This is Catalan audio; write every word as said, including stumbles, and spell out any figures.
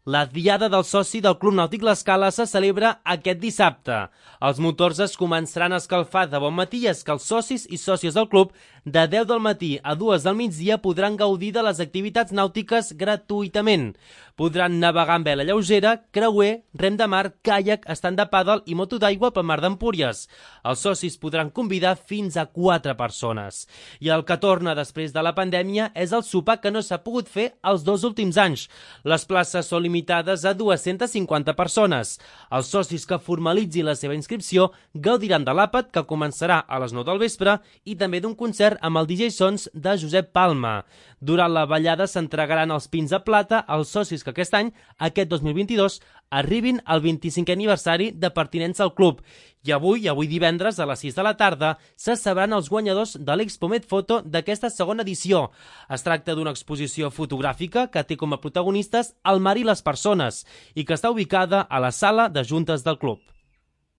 La Diada del Soci del Club Nàutic L'Escala se celebra aquest dissabte. Els motors es començaran a escalfar de bon matí i és que els socis i sòcies del club de deu del matí a dues del migdia podran gaudir de les activitats nàutiques gratuïtament. Podran navegar amb vela lleugera, creuer, rem de mar, caiac, estand de pàdel i moto d'aigua pel mar d'Empúries. Els socis podran convidar fins a quatre persones. I el que torna després de la pandèmia és el sopar que no s'ha pogut fer els dos últims anys. Les places són limitades a dues-centes cinquanta persones. Els socis que formalitzin la seva inscripció gaudiran de l'àpat, que començarà a les nou del vespre, i també d'un concert amb el D J Sons de Josep Palma. Durant la ballada s'entregaran els pins de plata als socis que aquest any, aquest dos mil vint-i-dos, arribin al vint-i-cinquè aniversari de pertinença al club. I avui, avui divendres, a les sis de la tarda, se sabran els guanyadors de l'Expomed Foto d'aquesta segona edició. Es tracta d'una exposició fotogràfica que té com a protagonistes el mar i les persones i que està ubicada a la sala de juntes del club.